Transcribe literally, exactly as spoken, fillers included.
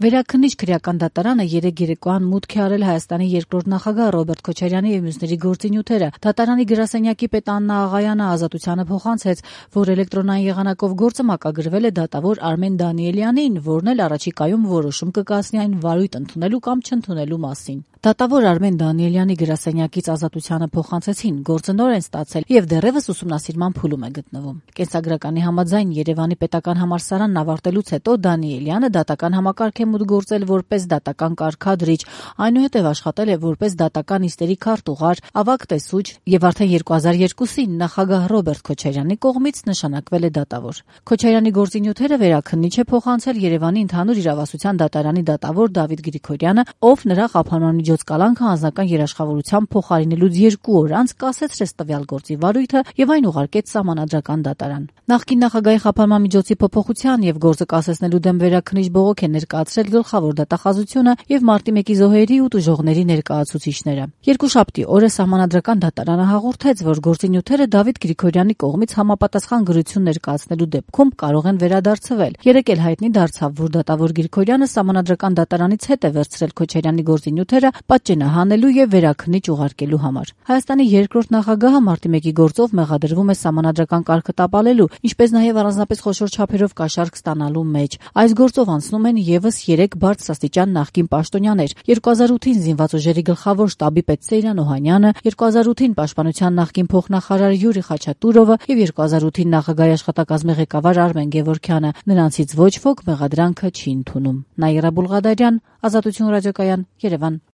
Վերաքննիչ քրեական դատարանը երեկ երեկոյան մուտք է արել Հայաստանի երկրորդ նախագահ Ռոբերտ Քոչարյանի եւ մյուսների գործինյութերը։ Դատարանի գրասենյակի պետ Աննա Աղայանը ազատությանը փոխանցեց, որ էլեկտրոնային եղանակով գործը մակագրվել է դատավոր Արմեն Դանիելյանին, որն էլ առաջիկայում որոշում կկայացնի այն վարույթ ընդունելու կամ չընդունելու մասին։ Դատավոր Արմեն Դանիելյանի գրասենյակից ազատությանը փոխանցեցին, գործը նոր են ստացել եւ դեռևս ուսումնասիրման փուլում է գտնվում։ Կենսագրականի համաձայն Երևանի պետական համալսարանն ավարտելուց հետո Դանիելյանը դատական համակարգ է մուտք գործել որպես դատական կարգադրիչ, այնուհետև աշխատել է որպես դատական նիստերի քարտուղար, ավագ տեսուչ եւ արդեն երկու հազար երկուսին նախագահ Ռոբերտ Քոչարյանի կողմից նշանակվել է դատավոր։ Քոչարյանի գործինյութերը վերաքննիչ է փոխանցել Երևանի ընդհանուր իրավասության դատարանի դատավոր Դավիթ Գրիգորյանը, ով նրա խափանման միջոց կալանքը անձնական երաշխավորությամբ փոխարինելուց երկու օր անց կասեցրեց տվյալ գործի վարույթը եւ այն ուղարկեց սահմանադրական դատարան։ Նախկին նախագահի խափանման միջոցի փոփոխության եւ գործը կասեցնելու դեմ վերաքննիչ բողոք է ներկայացրել գլխավոր դատախազությունը եւ մարտի մեկի զոհերի ու տուժողների ներկայացուցիչները։ Երկուշաբթի օրը սահմանադրական դատարանը հաղորդեց, որ գործինյութերը Դավիթ Գրիգորյանի կողմից համապատասխան գրություն ներկայացնելու դեպքում կարող են վերադարձվել։ Երեկ էլ հայտնի դարձավ, որ դատավոր Գրիգորյանը սահմանադրական դատարանից հետ է վերցրել Քոչարյանի գործինյութերը պատճենահանելու եւ վերաքննիչ ուղարկելու համար։ Հայաստանի երկրորդ նախագահը մարտի մեկի գործով մեղադրվում է սահմանադրական կարգը տապալելու, ինչպես նաեւ առանձնապես խոշոր չափերով կաշառք ստանալու մեջ։ Այս գործով անցնում են եւս երեք բարձրաստիճան նախկին պաշտոնյաներ՝ երկու հազար ութին զինված ուժերի գլխավոր շտաբի պետ Սեյրան Օհանյանը, երկու հազար ութին պաշտպանության նախկին փոխնախարար Յուրի Խաչատուրովը եւ երկու հազար ութին նախագահի աշխատակազմի ղեկավար Արմեն Գևորգյանը։ Նրանցից ոչ ոք մեղադրանքը չի ընդունում։ Նաիրա Բուլղադարյան, Ազատություն ռադիոկայան, Երևան։